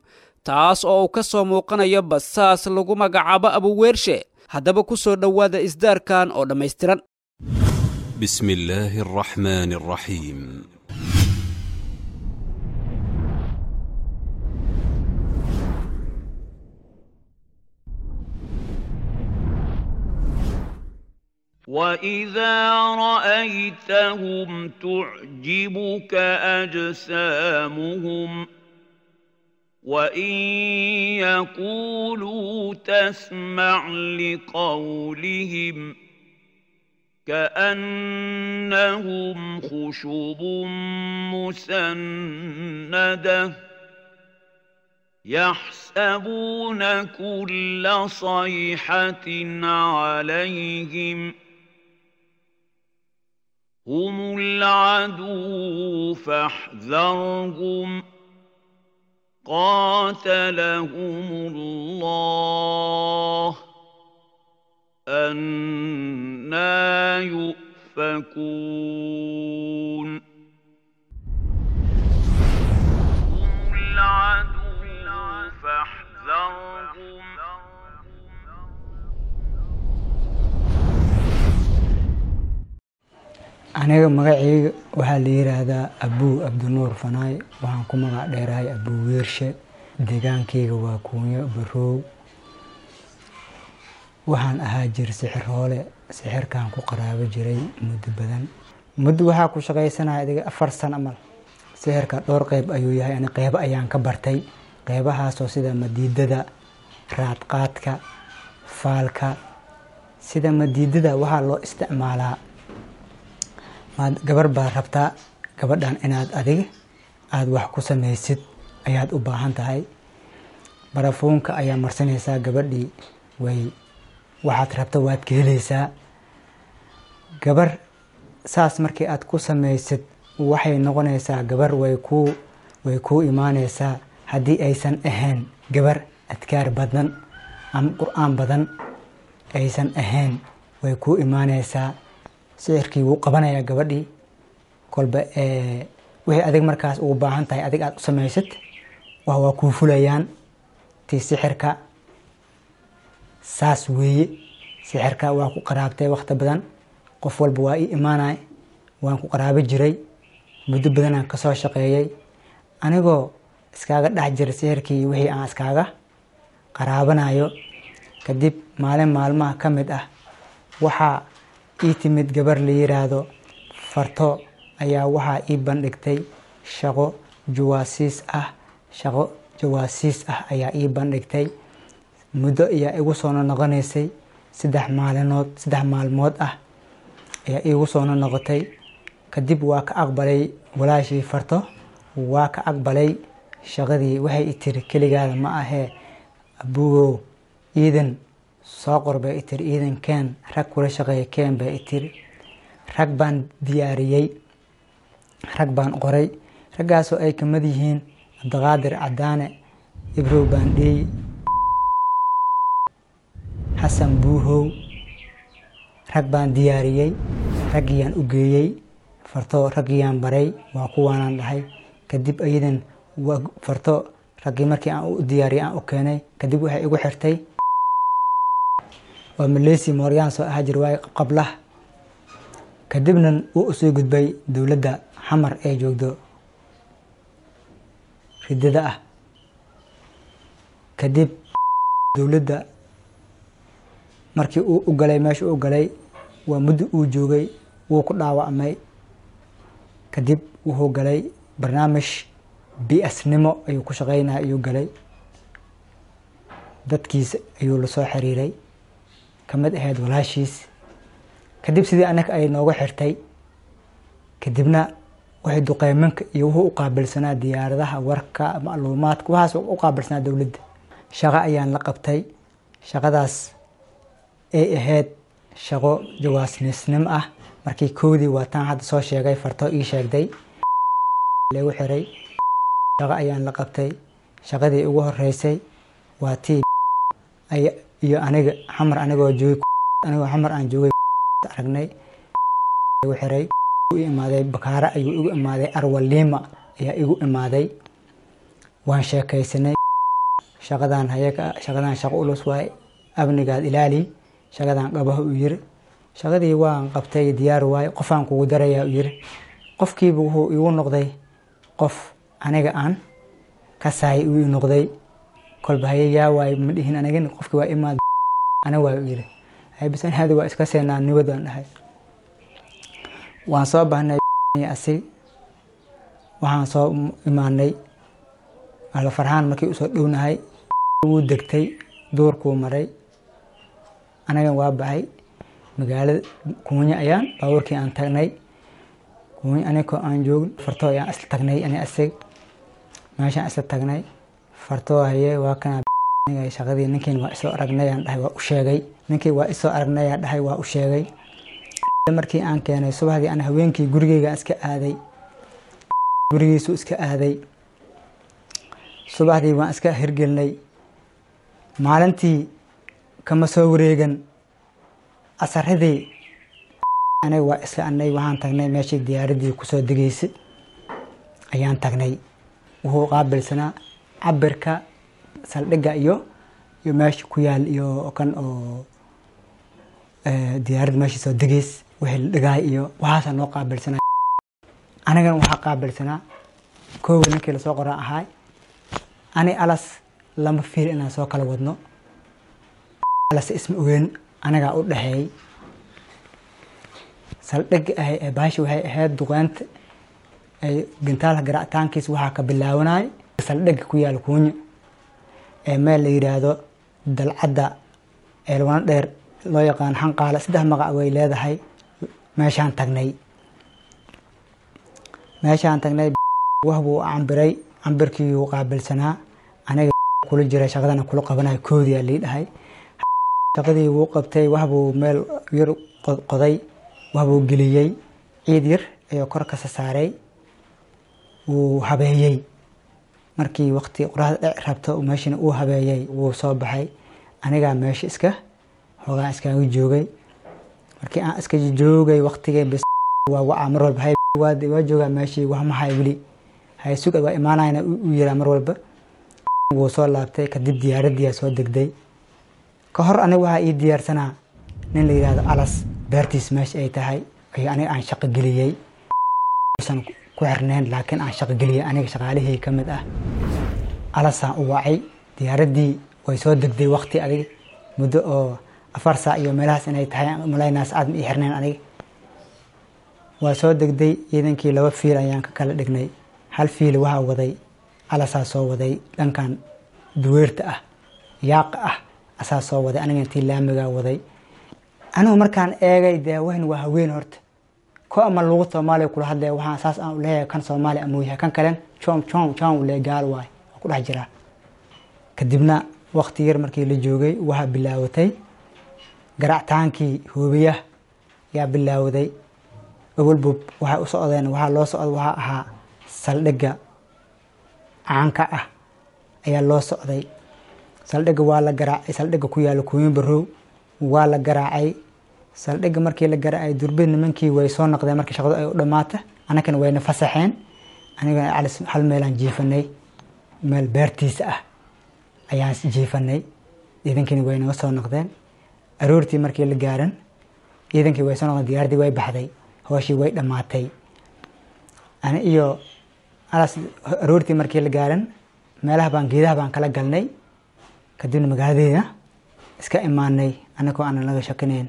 S2: taas oo uu ka soo muuqanayo basaas lagu magacaabo Abuweershe. Haddaba ku soo dhowaada isdaarkan oo dhammaystiran.
S12: بسم الله الرحمن الرحيم.
S13: واذا رايتهم تعجبك اجسامهم، وان يقولوا تسمع لقولهم، كانهم خشب مسنده، يحسبون كل صيحه عليهم، هم العدو فاحذرهم، قاتلهم الله، أنا يؤفكون. هم العدو فاحذرهم.
S14: Aniga magacayga waxaa la yiraahdaa Abuu Abdinuur Fanaay, waxaan ku magac dheerahay Abuu Weershe. Deegaankayga waa Kuunyo Baroow. Waxaan ahaa jir sixiroole, sixirkaan ku qaraabo jiray muddo badan. Muddo waxaa ku shaqaysanaya adiga 4 sano amal. Sixirka dhowr qeyb ayuu yahay, ani qeybo ayaan ka bartay, qeybahaasoo sida madiidada, raadqaadka, faalka. Sida madiidada waxaa loo isticmaalaa, gabar baad rabtaa, gabadhan inaad adiga aada wax ku samaysid ayaad u baahan tahay. Barafuunka ayaa marsanaysaa gabadhii, way waxaad rabta waad ka helaysaa. Gabar saas markii aad ku samaysid, waxay noqonaysaa gabar way kuu imaaneysaa, haddii aysan ahayn gabar adkaar badan ama qur-aan badan aysan ahayn, way kuu imaaneysaa. Sixirkii wuu qabanayaa gabadhii. Kolba wixii adig markaas ugu baahan tahay adig aada u samaysid, waa kuu fulayaan. Tii sixirka saas weeye. Sixirka waa ku qaraabtay waqti badan, qof walba waa ii imaanay, waan ku qaraabo jiray muddo badanaan kasoo shaqeeyay, anigoo iskaaga dhex jira sixirkii wixii aan iskaaga qaraabanayo. Kadib maalin maalmaha ka mid ah waxaa ii timid gabar la yiraahdo Farto Ayaa waxaa ii bandhigtay shaqo jawaasiis ah. Shaqo jawaasiis ah ayaa ii bandhigtay. Muddo ayaa igu soo noqonaysay, 3 maalinood, 3 maalmood ah ayaa iigu soo noqotay. Kadib waa ka aqbalay walaashii Farto, waa ka aqbalay shaqadii. Waxay i tiri, "Keligaada ma ahee, abugow iidan soo qor," bay i tiri. "Iidan keen, rag kula shaqeeya keen," bay i tiri. Rag baan diyaariyey, rag baan qoray, raggaasoo ay kamid yihiin Cabdiqaadir Cadaane, Ibrow Baandheey, Xasan Buuhow. Rag baan diyaariyey, raggiyaan u geeyey Farto, raggiyaan baray, waa kuwaanaan dhahay. Kadib ayadan waa Farto raggii markii aan u diyaariyey aan u keenay. Kadib waxay igu xirtay waa Maleysi mooryaan soo ahaa jir waaye qablah. Kadibna wuu usoo gudbay dowladda Xamar ee joogdo ridada ah. Kadib dowladda markii uu u galay, meesha uu galay waa muddo uu joogay, wuu ku dhaawacmay. Kadib wuxuu galay barnaamij BS-nimo ayuu ku shaqeynaya ayuu galay. Dadkiisa ayuu lasoo xiriiray, kamid ahayd walaashiis. Kadib sidii annaga ay nooga xirtay. Kadibna waxay duqeymanka iyo wuxuu u qaabilsanaa diyaaradaha, warka, macluumaadka, waxaas u qaabilsanaa dowladda. Shaqo ayaan la qabtay. Shaqadaas ay ahayd shaqo jawaasniisnimo ah. Markii koodii waa taan hadda soo sheegay, Farto ii sheegday lagu xiray. Shaqo ayaan la qabtay. Shaqadii ugu horeysay waa tii iyo aniga Xamar anigoo joogay, anigoo Xamar aan joogay aragnay lagu xiray. U imaaday Bakaara ayuu igu imaaday, Arwalima ayaa igu imaaday. Waan sheekaysanay. Shaqadan hayaka, shaqadan shaqo ulus waay, amnigaad ilaali, shaqadan qabaha, uu yiri. Shaqadii waan qabtay, diyaar waay, qofaan kugu darayaa, uu yiri. Qofkiiba wuxuu igu noqday qof aniga aan kasaay uu noqday. Kolba haye yaa waay ma dhihin anigin. Qofkii waa imaad, ana waay, uu yiri. Haye bas, ani hada waa iska seenaa nibad aan dhahay. Waan soo bahnay asig, waxaan soo imaanay Alfarxaan. Markii usoo dhownahay wuu degtay, duurkuu maray, anagan waa baxay. Magaalada Kuunyo ayaan baabuurkii aan tagnay. Kuunyo anigoo aan joogin, Farto ayaan isla tagnay. Ani asig meeshaan isla tagnay. Farto, haye waa kana shaqadii, ninkiin waa isoo aragnay aan dhahay, waa u sheegay. Ninkii waa isoo aragnay aan dhahay, waa u sheegay. Markii aan keenay subaxdii, aan haweenkii gurigeyga iska aaday, gurigiisu iska aaday. Subaxdii waan iska hirgelinay. Maalintii kama soo wareegan, asaradii aniga waa isla anay waxaan tagnay meeshii diyaaraddii kusoo degeysay ayaan tagnay. Wuxuu qaabilsanaa cabirka saldhigga iyo meesha ku yaal iyo kan oo diyaaradda meesha soo degeys, wixii la dhigaay iyo waxaasaa noo qaabilsanaa. Anigana waxaa qaabilsanaa koowa ninkii lasoo qoraa ahaay. Ani alas lama fiil inaan soo kala wadno, alas isma ogeyn, anigaa u dhexeeyey saldhig ahay. Ee baashi waxay ahayd duqeynta ay gintaalka garaacitaankiisa waxaa ka bilaabanay saldhigga ku yaal Kuunyo ee meel la yidhaahdo Dalcadda Eelwana Dheer loo yaqaan Xanqaale. Saddex magac way leedahay. Meeshaan tagnay, meeshaan tagnay, wax buu cambiray, cambirkii uu qaabilsanaa. Aniga kula jiray shaqadana kula qabanayo koodiyaa lii dhahay. Shaqadii wuu qabtay, wax buu meel yar qoday, wax buu geliyey, ciid yar ayuu kor kasa saaray, wuu habeeyey. Markii waqti qoraxda dhici rabto meeshana uu habeeyey, wuu soo baxay. Anigaa meesha iska hoogaan iskaga joogay. Markii aan iska joogay waqtigay bes waa wacaa mar walba. Hay waa joogaa meeshii, wax ma hay weli, hay sug, waa imaanayna u yiraa mar walba. Wuu soo laabtay. Kadib diyaaradiyaa soo degday. Ka hor aniga waxaa ii diyaarsanaa nin la yidhaahdo Alas, beertiis meesha ay tahay ayo aniga aan shaqo geliyey, usan ku xirnayn, laakiin aan shaqo geliyey aniga shaqaalihii ka mid ah. Alasaan u wacay. Diyaaraddii way soo degday waqti adig muddo oo 4 saac iyo meelahaas inay tahay malaynaas aad ma ii xirnayn aniga. Waa soo degday. Ciidankii 2 fiil ayaan ka kala dhignay. Hal fiil waxaa waday Alasaa soo waday, dhankan duweerta ah, yaaqa ah asaa soo waday. Aniga intii laamigaa waday. Anigu markaan eegay dee wahan waa haween horta ko ama luuqad Soomaaliya kula hadlaya. Waxaan saas aan u leeyahay kan Soomaali amuu yahay, kan kalen joom joom joom u leeyahay, gaal waay waa ku dhex jiraa. Kadibna waqti yar markii la joogay waxaa bilaawatay garaactaankii hoobiyaha yaa bilaawday. Awalbub waxay u socdeen, waxaa loo socda waxaa ahaa saldhigga caanka ah ayaa loo socday. Saldhigga waa la garaacay, saldhigga ku yaala Kuuyin Barow waa la garaacay. Saldhigga markii la garaacay durbe nimankii way soo noqdeen. Markii shaqadu ay u dhammaata annagana wayna fasaxeen. Anigana Calis hal meelaan jiifanay, meel beertiisa ah ayaan jiifanay. Ciidankiina way naga soo noqdeen. Aroortii markii la gaaran ciidankii way soo noqdeen, diyaaraddii way baxday, hooshii way dhammaatay. Ani iyo Alas aroortii markii la gaaran meelaha baan geedaha baan kala galnay. Kadibna magaaladeena iska imaanay anagoo aanan laga shakinayn.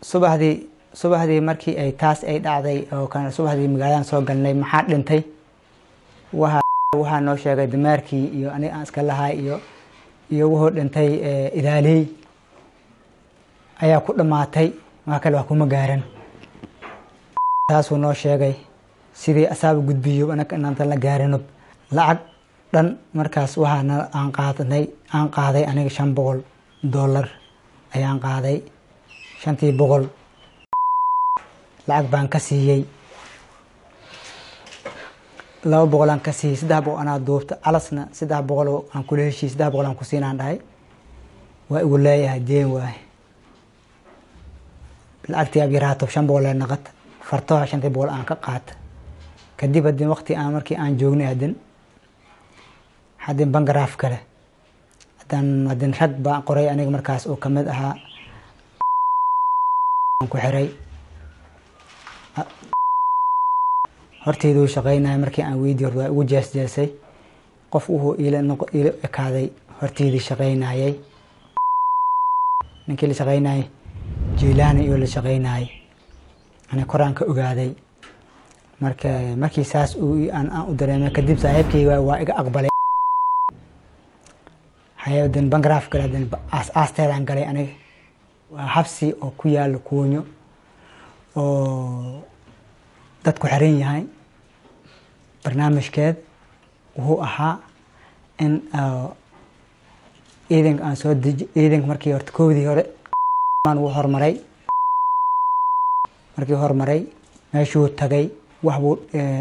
S14: Subaxdii markii ay taas ay dhacday oo kan subaxdii magaaladan soo galnay, maxaa dhintay? Waxaa noo sheegay dameerkii iyo aniga aan iska lahay iyo wuxuu dhintay idaaley ayaa ku dhammaatay, wax kale wax kuma gaaran. Taasuu noo sheegay sidii asaaba gudbiyo anaga inaantan la gaarino. Lacag dhan markaas waxaana aan qaadanay, aan qaaday aniga $500 ayaan qaaday. 500 lacag baan ka siiyey, 200 aan ka siiyey, 300 anaa duubta. Calasna 300 aan kula heshiiyey, 300 aan ku siinaan dhahay, waa igu leeyahay deen waaye. Lacagtii ab yaraato 500 ee naqat fartoha 500 aan ka qaata. Kadib haddii waqti aan markii aan joognay haddin bangaraaf kale haddin rag baan qoray aniga markaas oo kamid ahaa ku xiray horteyduu shaqaynaya. Markii aan weydiiy hor waa igu jeesjeesay, qof wuxuu iila noqo iila ekaaday horteydii shaqaynayay. Ninkii la shaqaynayay Jiilaani iyo la shaqaynayay ani koraan ka ogaaday. Marka markii saas uu aan u dareemay kadib saaxiibkayga waa iga aqbalay. Hayadan bangaraaf kale hadan aas aasteedaan galay aniga. Waa xabsi oo ku yaalo Kuunyo oo dadku xiran yahay. Barnaamijkeed wuxuu ahaa in ciidanka aan soo deji. Ciidanka markii horta koodii hore wuu hormaray. Markii hormaray meeshuu tagay wax buu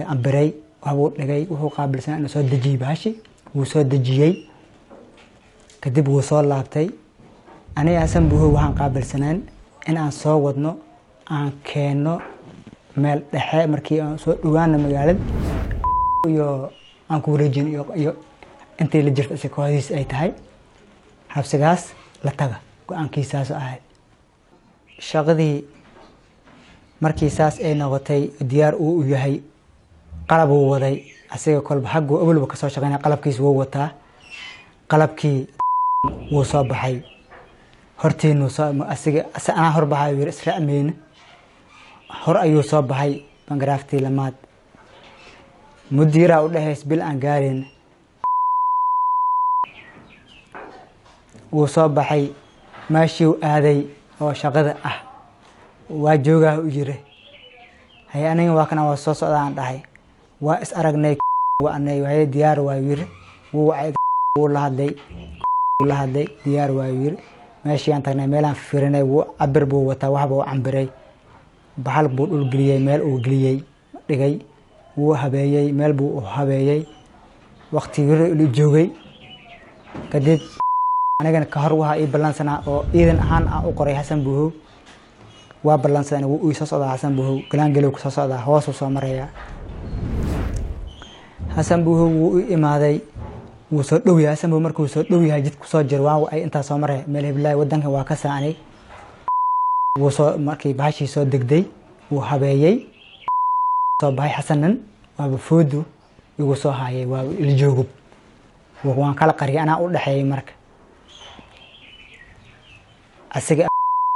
S14: ambiray, wax buu dhigay, wuxuu qaabilsanaa inuu soo dejiyey bahashi. Wuu soo dejiyey, kadib wuu soo laabtay. Aniga Xasan Buuhow waxaan qaabilsanaan in aan soo wadno, aan keenno meel dhexe. Markii aan soo dhawaano magaalada iyo aan ku wareejin iyo intii la jirta isa kooxdiis ay tahay xabsigaas la taga, go-aankiisaas ahayd. Shaqadii markii saas ay noqotay diyaar uu u yahay, qalab uu waday asiga kolba xagguu awalba kasoo shaqeynaya, qalabkiis wuu wataa. Qalabkii wuu soo baxay hortiinu soo asiga anaa horbaxay yiri israacmeyna hor ayuu soo baxay. Bangaraaftii lamaad mudiiraa u dhahays bil aan gaarin wuu soo baxay. Meeshii uu aaday oo shaqada ah waa joogaa u yiri haye aniga waa kana waa soo socdaa aan dhahay. Waa is aragnay waanay waye diyaar waa yiri. Wuu wacay, wuu la hadlay, la hadlay, diyaar waa yiri. Meeshii aan tagnay meelaan fiirinay, wuu cabir buu wataa, wax buu cambiray, bahal buu dhul geliyey, meel uu geliyey dhigay, wuu habeeyey, meel buu u habeeyey. Waqti yiri joogay kadib anigana ka hor waxaa ii ballansanaa oo ciidan ahaan aan u qoray Xasan Buuhow. Waa ballansanaa, wuu ii soo socdaa Xasan Buuhow, galaangelow ku soo socdaa, hoosuu soo marayaa. Xasan Buuhow wuu i imaaday, wuu soo dhow yahay. Xasan Buuhow markuu soo dhow yahay jidku soo jiro waan ay intaa soo maray meel heblaay wadanka waa ka saanay. Wuu soo markii bahashii soo degday wuu habeeyey, soo baxay. Xasanan waaba foodu igu soo haayay, waa iljoogub, waan kala qariyay, anaa u dhexeeyay. Marka asiga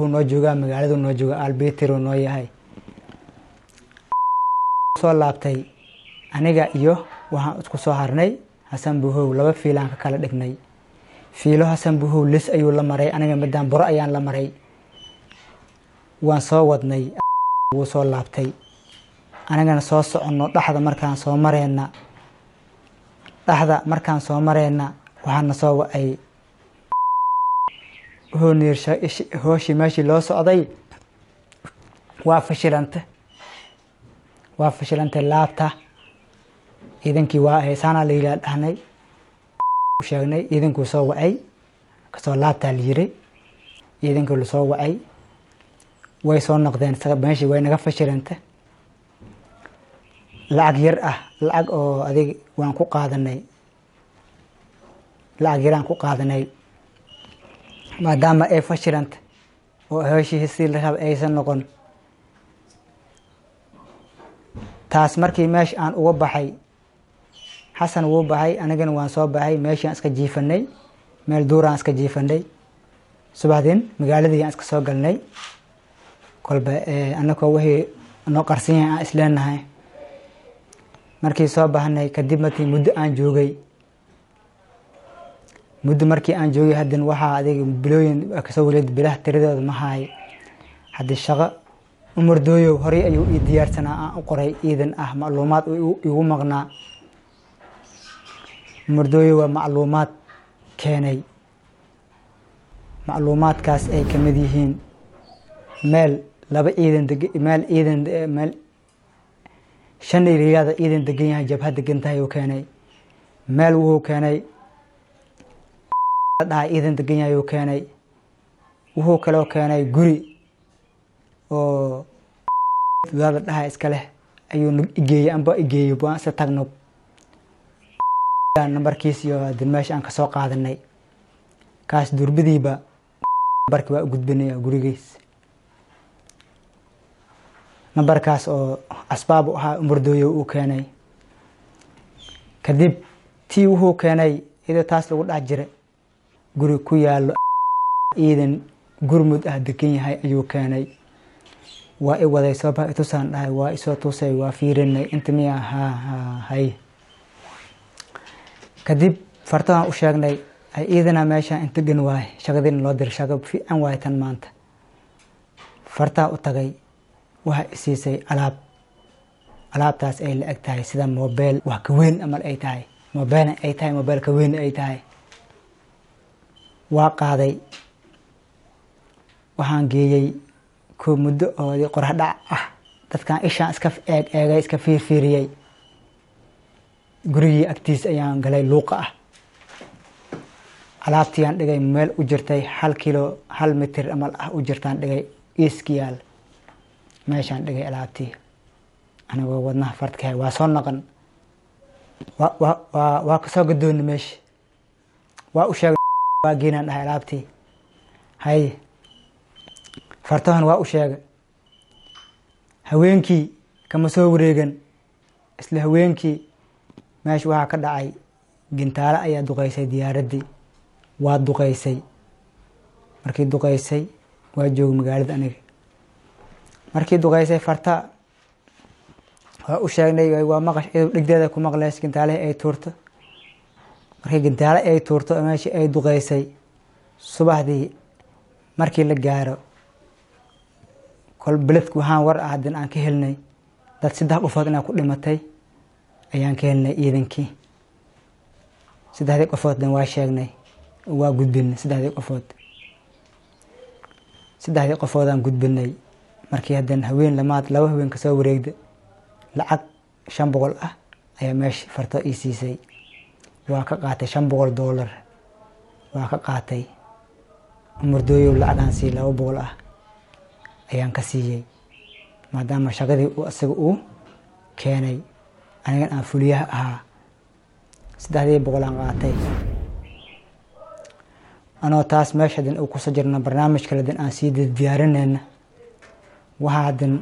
S14: Noo joogaa, magaaladu noo jooga, albitiro noo yahay. Soo laabtay aniga iyo waxaan isku soo harnay Xasan Buhow. Laba fiilaan ka kala dhignay. Fiilo Xasan Buhow lis ayuu la maray, aniga midaan buro ayaan la maray. Waan soo wadnay, wuu soo laabtay, anigana soo soconno. Dhexda markaan soo mareyna, dhexda markaan soo mareyna, waxaana soo wacay, wuxuu niir hooshii meeshii loo socday waa fashilante, waa fashilantay. Laabta ciidankii waa heesaanaa la yidhaha dhahnay, sheegnay. Ciidankuu soo wacay, kasoo laabtaa la yiri. Ciidankii lasoo wacay way soo noqdeen. Meeshii way naga fashilantay. Lacag yar ah, lacag oo adig waan ku qaadanay, lacag yaraan ku qaadanay, maadaama ay fashilanta oo hooshii si la raba aysan noqon. Taas markii meesha aan uga baxay, Xasan wuu baxay, anigana waan soo baxay. Meeshaan iska jiifanay, meel duuraan iska jiifanay. Subaxdin magaaladii aan iska soo galnay, kolba anakoo wixii noo qarsan yahay aan isleenahay. Markii soo baxnay kadib, markii muddo aan joogay, muddo markii aan joogay, haddana waxaa adiga bilooyin kasoo wareed, bilaha tiradooda ma haay. Haddii shaqo Umar Dooyow horey ayuu ii diyaarsanaa, aan u qoray ciidan ah, macluumaad igu maqnaa. Umar Dooyow waa macluumaad keenay, macluumaadkaas ay kamid yihiin meel laba ciidan deg, meel ciidan, meel shan iriyaada ciidan degan yahay, jabhad degan tahay uu keenay. Meel wuxuu keenay dhaha ciidan degan yahay uu keenay. Wuxuu kaloo keenay guri oo wadaada dhaha iska leh ayuu igeeyey, amba igeeyey waan isa tagno, nambarkiis iyo hadin meesha aan kasoo qaadanay. Kaas durbidiiba nambarki waa u gudbinaya gurigiis, nambarkaas oo asbaab u ahaa Umardooyo uu keenay. Kadib tii wuxuu keenay iyadoo taas lagu dhex jira, guri ku yaalo ciidan gurmud ah degan yahay ayuu keenay. Waa i waday, soo bax itusaan dhahay, waa isoo tusay, waa fiirinay, inta miya? Ha ha, hay. Kadib fartadan u sheegnay, ay ciidana meesha inta gan waay, shaqadiina loo diray, shaqo fiican waay tan maanta. Fartaa u tagay, waxa isiisay alaab. Alaabtaas ay la eg tahay sida mobeel, wax ka weyn amal ay tahay, mobeel ay tahay, mobeel ka weyn ay tahay. Waa qaaday, waxaan geeyey ko muddo oo qorax dhac ah. Dadkan ishaan iska eeg eegay, iska fiirfiiriyey. Gurigii agtiis ayaan galay luuqa ah, alaabtiiyaan dhigay meel u jirtay 1 kilo, 1 mitir amal ah u jirtaan dhigay, iiskiyaal meeshaan dhigay alaabtii, anigoo wadnaha fardkahay. Waa soo naqan, waa kasoo gadooni meesha, waa u sheegay, waa geenaan dhahay alaabtii. Hay, fartahan waa u sheegay. Haweenkii kama soo wareegan, isla haweenkii meesha waxaa ka dhacay gintaale ayaa duqeysay diyaaraddii, waa duqeysay. Markii duqeysay, waa joogay magaalada aniga. Markii duqeysay, farta waa u sheegnay, waa maqash, iyadoo dhegdeeda ku maqleys gintaalahi ay tuurto. Markii gintaale ay tuurto, meeshii ay duqeysay, subaxdii markii la gaaro, kol beledku waxaan war ah haddana aan ka helnay dad 3 qofood inaa ku dhimatay ayaan ka helnay ciidankii. 3dii qofoodna waa sheegnay, waa gudbinay 3dii qofood, 3dii qofoodaan gudbinay. Markii haddana haween lamaad, 2 haween kasoo wareegda, lacag 500 ah ayaa meesha farto ii siisay. Waa ka qaatay $500, waa ka qaatay. Umardooyow lacagaan sii 200 ah ayaan ka siiyey, maadaama shaqadii uu isaga uu keenay anigan aan fuliyaha ahaa. 3dii boqolaan qaatay. Anoo taas meesha hadin uu kusoo jirna, barnaamij kale hadin aan sii diyaarinayna, waxaa hadin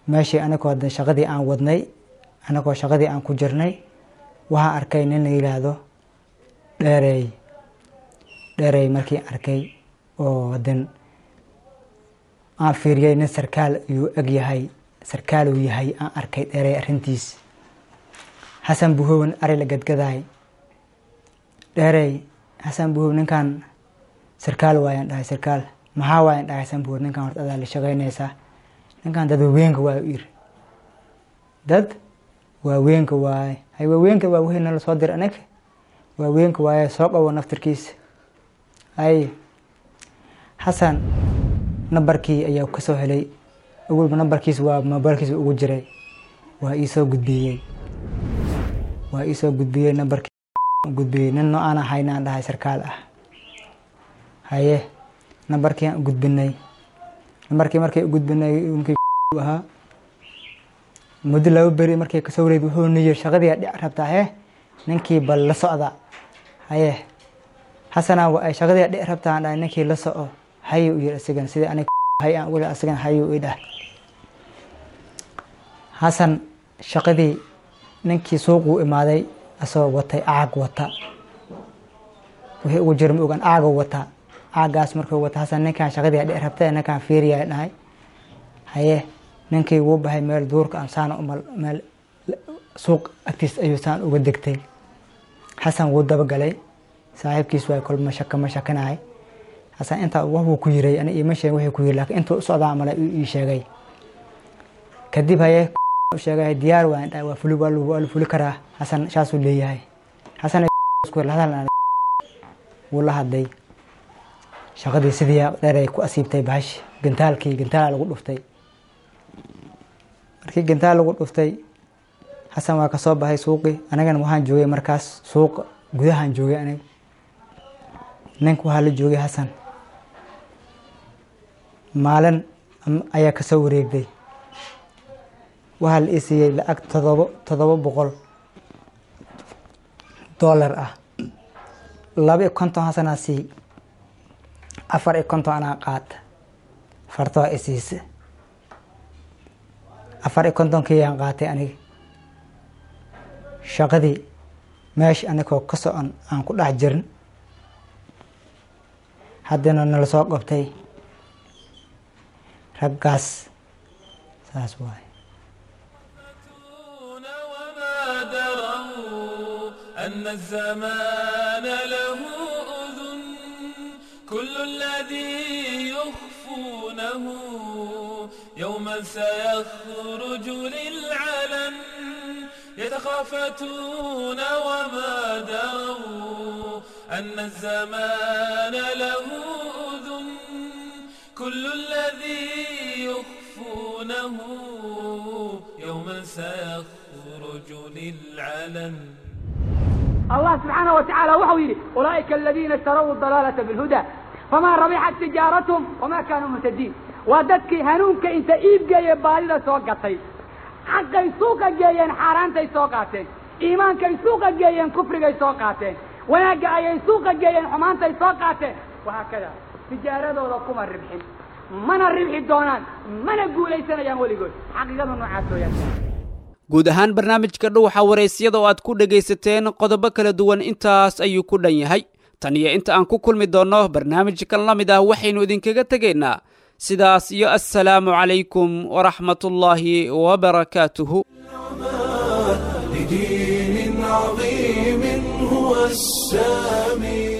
S14: meeshii anagoo hadin shaqadii aan wadnay, anagoo shaqadii aan ku jirnay, waxaa arkay nin la yidhaahdo Dheerey. Dheerey markii arkay oo hadin Aan fiiriyey, nin sarkaal ayuu eg yahay, sarkaal uu yahay aan arkay dheerey arrintiis. Xasan Buhowan ari la gadgadaay dheerey. Xasan Buhow, ninkan sarkaal waayaan dhahay. Sarkaal maxaa waayaan dhahay? Xasan Buhow, ninkan horta adaa la shaqaynaysaa, ninkan dad waaweenka waa u yiri, dad waaweenka waaye. Hay, waaweenka waa wixii nala soo dir anaga, waaweenka waaye, soo qabo naftirkiisa. Hay, Xasan nambarkii ayaa kasoo helay. Awalba nambarkiis waa mobaylkiisa ugu jiray, waa iisoo gudbiyey, waa iisoo gudbiyey nambarkii gudbiyey. Nin noo aan ahayn aan dhahay, sarkaal ah. Haye, nambarkii aan u gudbinay, nambarkii markii u gudbinay ninkii ahaa, muddo 2 beri markii kasoo wareegay, wuxuu niyir shaqadii dhic rabtaa hee, ninkii bal la socda. Haye, Xasana, waa ay shaqadii dhic rabtaa aan dhahay, ninkii la soco. Haye u yiri asigan, sidii aniga hay aan ugu asigan haye u idhah. Xasan shaqadii ninkii suuquu imaaday asagoo watay caag wata, wixii ugu jira ma ogaan, caaga wata. Caagaas markuu wata Xasan, ninkaan shaqadii dhic rabta, ninkaan fiiriyaa dhahay. Haye, ninkii wuu baxay, meel duurka aan saan umal meel suuq agtiis ayuu saan uga degtay. Xasan wuu dabagalay, saaxiibkiis waay, kolma shaka ma shakinahay. Xasan intaa wax ku yiray ani iima sheegin wixii ku yiri, laakiin intuu u socdaa male ii sheegay. Kadib haye u sheegay, diyaar waan dhahay, waa fuli, waa la fuli karaa. Xasan saasuu leeyahay. Xasan isku la hadal wuu la hadlay. Shaqadii sidii dheer ay ku asiibtay bahash, gantaalkii gantaala lagu dhuftay. Markii gantaal lagu dhuftay, Xasan waa kasoo baxay suuqii, anagana waxaan joogay markaas suuqa gudahaan joogay aniga. Ninka waxaa la joogay Xasan. Maalin ayaa kasoo wareegday, waxaa la ii siiyey lacag $700 ah. 52 Xasanaa sii, 54 anaa qaata, fartoo i siisa. 54-kii qaatay aniga. Shaqadii meesha anigoo ka socon aan ku dhex jirin, haddana nala soo qabtay raggaas, saas waaye.
S1: وما دروا أن الزمان له أذن، كل الذي يخفونه يوما سيخرج للعلن. يتخافتون وما دروا أن الزمان له أذن، كل الذي يخفونه يوما سيخرج للعلن.
S15: الله سبحانه وتعالى وحو يري: أولئك الذين اشتروا الضلالة بالهدى فما ربحت تجارتهم وما كانوا مهتدين. Waa dadkii hanuunka inta iib geeye baadida soo gatay. Xaqay suuqa geeyeen, xaaraantay soo qaateen. Iimaankay suuqa geeyeen, kufrigay soo qaateen. Wanaagga ayay suuqa geeyeen, xumaantay soo qaateen. Wahaakada tijaaradooda kuma ribxin, mana ribxi doonaan, mana guulaysanayaan weligood. Xaqiiqadu noocaas weeyaan.
S2: Guud ahaan barnaamijka Dhuuxa Waraysyada oo aad ku dhegaysateen qodobo kala duwan intaas ayuu ku dhan yahay. Tan iyo inta aan ku kulmi doonno barnaamijkan la mid ah, waxaynu idinkaga tegaynaa sidaas iyo assalaamu calaykum waraxmatullaahi wabarakaatuhu.
S1: لدين عظيم هو السامي.